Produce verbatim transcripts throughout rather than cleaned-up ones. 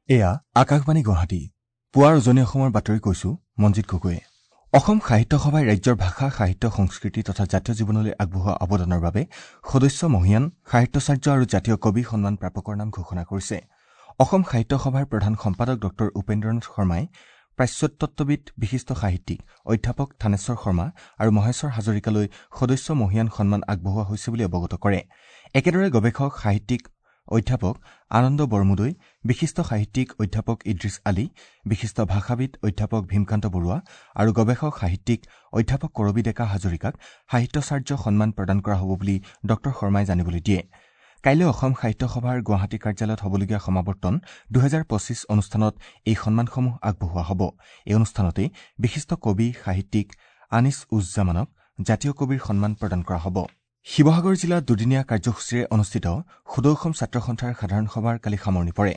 এয়া আকাশবাণী গুৱাহাটী। পুৱাৰ উজনি অসমৰ বাতৰি কৈছো মঞ্জিত গগৈয়ে। অসম সাহিত্য সভাই ৰাজ্যৰ ভাষা, সাহিত্য, সংস্কৃতি তথা জাতীয় জীৱনলৈ আগবঢ়োৱা অৱদানৰ বাবে সদস্য মহীয়ান সাহিত্যাচাৰ্য আৰু জাতীয় কবি সন্মান প্ৰাপকৰ নাম ঘোষণা কৰিছে। অসম সাহিত্য সভাৰ প্ৰধান সম্পাদক ডঃ উপেন্দ্ৰনাথ শৰ্মাই প্ৰাচ্যতত্ত্ববিদ, বিশিষ্ট সাহিত্যিক অধ্যাপক থানেশ্বৰ শৰ্মা আৰু মহেশ্বৰ হাজৰিকালৈ সদস্য মহীয়ান সন্মান আগবঢ়োৱা হৈছে বুলি অৱগত কৰে। একেদৰে গৱেষক সাহিত্যিক অধ্যাপক আনন্দ বৰমুদৈ, বিশিষ্ট সাহিত্যিক অধ্যাপক ইদ্ৰিছ আলী, বিশিষ্ট ভাষাবিদ অধ্যাপক ভীমকান্ত বৰুৱা আৰু গৱেষক সাহিত্যিক অধ্যাপক কৰবী ডেকা হাজৰিকাক সাহিত্যাচাৰ্য সন্মান প্ৰদান কৰা হ'ব বুলি ডঃ শৰ্মাই জানিবলৈ দিয়ে। কাইলৈ অসম সাহিত্য সভাৰ গুৱাহাটী কাৰ্যালয়ত হ'বলগীয়া সমাৱৰ্তন দুহেজাৰ পঁচিছ অনুষ্ঠানত এই সন্মানসমূহ আগবঢ়োৱা হ'ব। এই অনুষ্ঠানতেই বিশিষ্ট কবি সাহিত্যিক আনিছ উজ জামানক জাতীয় কবিৰ সন্মান প্ৰদান কৰা হ'ব। শিৱসাগৰ জিলাত দুদিনীয়া কাৰ্যসূচীৰে অনুষ্ঠিত সদৌ অসম ছাত্ৰ সন্থাৰ সাধাৰণ সভাৰ কালি সামৰণি পৰে।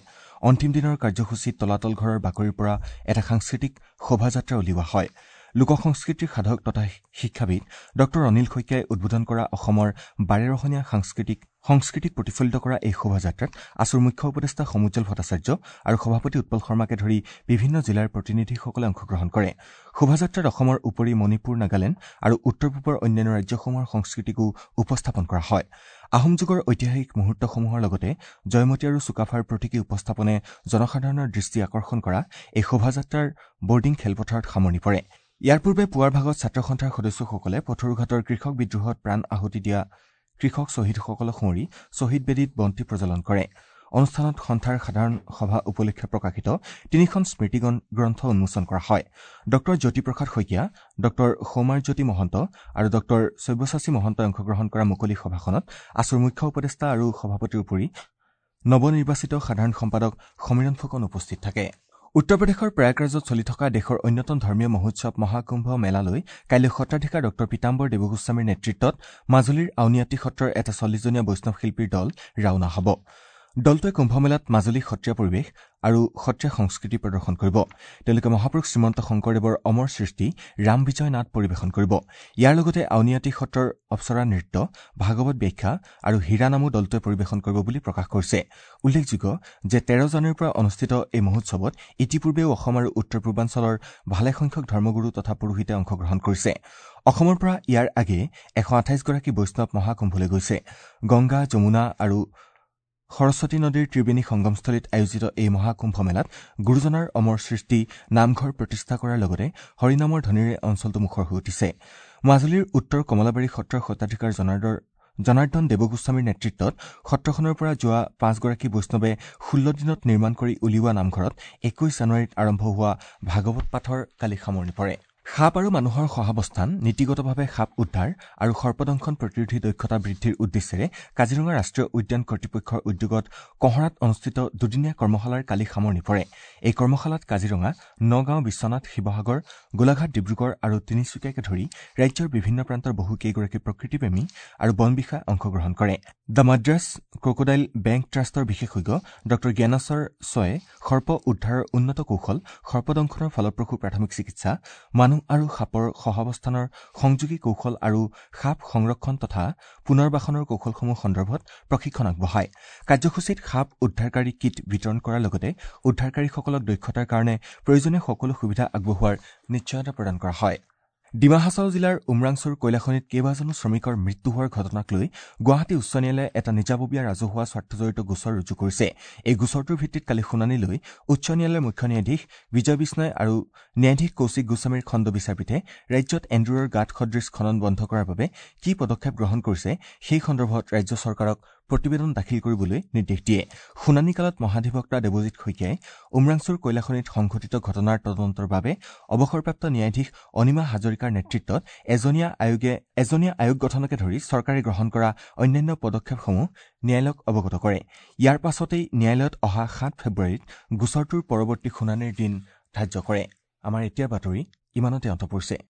অন্তিম দিনৰ কাৰ্যসূচীত তলাতল ঘৰৰ বাকৰিৰ পৰা এটা সাংস্কৃতিক শোভাযাত্ৰা উলিওৱা হয়। লোক সংস্কৃতিৰ সাধক তথা শিক্ষাবিদ ডঃ অনিল শইকীয়াই উদ্বোধন কৰা অসমৰ বাৰেৰহণীয়া সাংস্কৃতিক সংস্কৃতিক প্ৰতিফলিত কৰা এই শোভাযাত্ৰাত আছুৰ মুখ্য উপদেষ্টা সমুজ্জ্বল ভট্টাচাৰ্য আৰু সভাপতি উৎপল শৰ্মাকে ধৰি বিভিন্ন জিলাৰ প্ৰতিনিধিসকলে অংশগ্ৰহণ কৰে। শোভাযাত্ৰাত অসমৰ উপৰি মণিপুৰ, নাগালেণ্ড আৰু উত্তৰ পূবৰ অন্যান্য ৰাজ্যসমূহৰ সংস্কৃতিকো উপস্থাপন কৰা হয়। আহোম যুগৰ ঐতিহাসিক মুহূৰ্তসমূহৰ লগতে জয়মতী আৰু চুকাফাৰ প্ৰতীকী উপস্থাপনে জনসাধাৰণৰ দৃষ্টি আকৰ্ষণ কৰা এই শোভাযাত্ৰাৰ বৰ্ডিং খেলপথাৰত সামৰণি পৰে। ইয়াৰ পূৰ্বে পুৱাৰ ভাগত ছাত্ৰ সন্থাৰ সদস্যসকলে পথৰুঘাটৰ কৃষক বিদ্ৰোহত প্ৰাণ আহুতি দিয়া কৃষক শ্বহীদসকলক সুঁৱৰি শ্বহীদ বেদীত বন্তি প্ৰজ্বলন কৰে। অনুষ্ঠানত সন্থাৰ সাধাৰণ সভা উপলক্ষে প্ৰকাশিত তিনিখন স্মৃতি গ্ৰন্থ উন্মোচন কৰা হয়। ডঃ জ্যোতিপ্ৰসাদ শইকীয়া, ডঃ সৌমাৰজ্যোতি মহন্ত আৰু ডঃ সব্যসাচী মহন্তই অংশগ্ৰহণ কৰা মুকলি সভাখনত আছুৰ মুখ্য উপদেষ্টা আৰু সভাপতিৰ উপৰি নৱনিৰ্বাচিত সাধাৰণ সম্পাদক সমীৰণ ফুকন উপস্থিত থাকে। উত্তৰ প্ৰদেশৰ প্ৰয়াগৰাজত চলি থকা দেশৰ অন্যতম ধৰ্মীয় মহোৎসৱ মহাকুম্ভ মেলালৈ কাইলৈ সত্ৰাধিকাৰ ডঃ পীতাম্বৰ দেৱগোস্বামীৰ নেতৃত্বত মাজুলীৰ আউনীআটী সত্ৰৰ এটা চল্লিছজনীয়া বৈষ্ণৱ শিল্পীৰ দল ৰাওনা হ'ব। দলটোৱে কুম্ভমেলাত মাজুলী সত্ৰীয়া পৰিৱেশ আৰু সত্ৰীয়া সংস্কৃতি প্ৰদৰ্শন কৰিব। তেওঁলোকে মহাপুৰুষ শ্ৰীমন্ত শংকৰদেৱৰ অমৰ সৃষ্টি ৰাম বিজয় নাট পৰিৱেশন কৰিব। ইয়াৰ লগতে আউনীআটী সত্ৰৰ অপ্সৰা নৃত্য, ভাগৱত ব্যাখ্যা আৰু হীৰা নামো দলটোৱে পৰিৱেশন কৰিব বুলি প্ৰকাশ কৰিছে। উল্লেখযোগ্য যে তেৰ জানুৱাৰীৰ পৰা অনুষ্ঠিত এই মহোৎসৱত ইতিপূৰ্বেও অসম আৰু উত্তৰ পূৰ্বাঞ্চলৰ ভালেসংখ্যক ধৰ্মগুৰু তথা পুৰোহিতে অংশগ্ৰহণ কৰিছে। অসমৰ পৰা ইয়াৰ আগেয়ে এশ আঠাইছগৰাকী বৈষ্ণৱ মহাকুম্ভলৈ গৈছে। গংগা, যমুনা আৰু সৰস্বতী নদীৰ ত্ৰিবেণী সংগমস্থলীত আয়োজিত এই মহাকুম্ভ মেলাত গুৰুজনাৰ অমৰ সৃষ্টি নামঘৰ প্ৰতিষ্ঠা কৰাৰ লগতে হৰিনামৰ ধ্বনিৰে অঞ্চলটো মুখৰ হৈ উঠিছে। মাজুলীৰ উত্তৰ কমলাবাৰী সত্ৰৰ সত্ৰাধিকাৰ জনাৰ্দন দেৱগোস্বামীৰ নেতৃত্বত সত্ৰখনৰ পৰা যোৱা পাঁচগৰাকী বৈষ্ণৱে ষোল্ল দিনত নিৰ্মাণ কৰি উলিওৱা নামঘৰত একৈশ জানুৱাৰীত আৰম্ভ হোৱা ভাগৱত পাঠৰ কালি সামৰণি পৰে। সাপ আৰু মানুহৰ সহাৱস্থান, নীতিগতভাৱে সাপ উদ্ধাৰ আৰু সৰ্পদংশন প্ৰতিৰোধী দক্ষতা বৃদ্ধিৰ উদ্দেশ্যেৰে কাজিৰঙা ৰাষ্ট্ৰীয় উদ্যান কৰ্তৃপক্ষৰ উদ্যোগত কঁহৰাত অনুষ্ঠিত দুদিনীয়া কৰ্মশালাৰ কালি সামৰণি পৰে। এই কৰ্মশালাত কাজিৰঙা, নগাঁও, বিশ্বনাথ, শিৱসাগৰ, গোলাঘাট, ডিব্ৰুগড় আৰু তিনিচুকীয়াকে ধৰি ৰাজ্যৰ বিভিন্ন প্ৰান্তৰ বহুকেইগৰাকী প্ৰকৃতিপ্ৰেমী আৰু বন বিষয়াই অংশগ্ৰহণ কৰে। The Madras crocodile bank ট্ৰাষ্টৰ বিশেষজ্ঞ ডঃ জ্ঞানেশ্বৰ ছয়ে সৰ্প উদ্ধাৰৰ উন্নত কৌশল, সৰ্পদংশনৰ ফলপ্ৰসূ প্ৰাথমিক চিকিৎসা, মানুহ আৰু সাপৰ সহাৱস্থানৰ সংযোগী কৌশল আৰু সাপ সংৰক্ষণ তথা পুনৰ্বাসনৰ কৌশলসমূহ সন্দৰ্ভত প্ৰশিক্ষণ আগবঢ়ায়। কাৰ্যসূচীত সাপ উদ্ধাৰকাৰী কিট বিতৰণ কৰাৰ লগতে উদ্ধাৰকাৰীসকলক দক্ষতাৰ কাৰণে প্ৰয়োজনীয় সকলো সুবিধা আগবঢ়োৱাৰ নিশ্চয়তা প্ৰদান কৰা হয়। ডিমা হাছাও জিলাৰ উমৰাংছুৰ কয়লাখনিত কেইবাজনো শ্ৰমিকৰ মৃত্যু হোৱাৰ ঘটনাক লৈ গুৱাহাটী উচ্চ ন্যায়ালয়ে এটা নিজাববীয়া ৰাজহুৱা স্বাৰ্থজড়িত গোচৰ ৰুজু কৰিছে। এই গোচৰটোৰ ভিত্তিত কালি শুনানি লৈ উচ্চ ন্যায়ালয়ৰ মুখ্য ন্যায়াধীশ বিজয় বিষ্ণয় আৰু ন্যায়াধীশ কৌশিক গোস্বামীৰ খণ্ড বিচাৰপীঠে ৰাজ্যত এন্দুৰৰ গাঁত সদৃশ খনন বন্ধ কৰাৰ বাবে কি পদক্ষেপ গ্ৰহণ কৰিছে সেই সন্দৰ্ভত ৰাজ্য চৰকাৰক প্ৰতিবেদন দাখিল কৰিবলৈ নিৰ্দেশ দিয়ে। শুনানিকালত মহাধিবক্তা দেৱজিৎ শইকীয়াই উমৰাংছুৰ কয়লাখনিত সংঘটিত ঘটনাৰ তদন্তৰ বাবে অৱসৰপ্ৰাপ্ত ন্যায়াধীশ অনিমা হাজৰিকাৰ নেতৃত্বত এজনীয়া আয়োগে এজনীয়া আয়োগ গঠনকে ধৰি চৰকাৰে গ্ৰহণ কৰা অন্যান্য পদক্ষেপসমূহ ন্যায়ালয়ক অৱগত কৰে। ইয়াৰ পাছতেই ন্যায়ালয়ত অহা সাত ফেব্ৰুৱাৰীত গোচৰটোৰ পৰৱৰ্তী শুনানিৰ দিন ধাৰ্য কৰে। আমাৰ এতিয়াৰ বাতৰি ইমানতে অন্ত পৰিছে।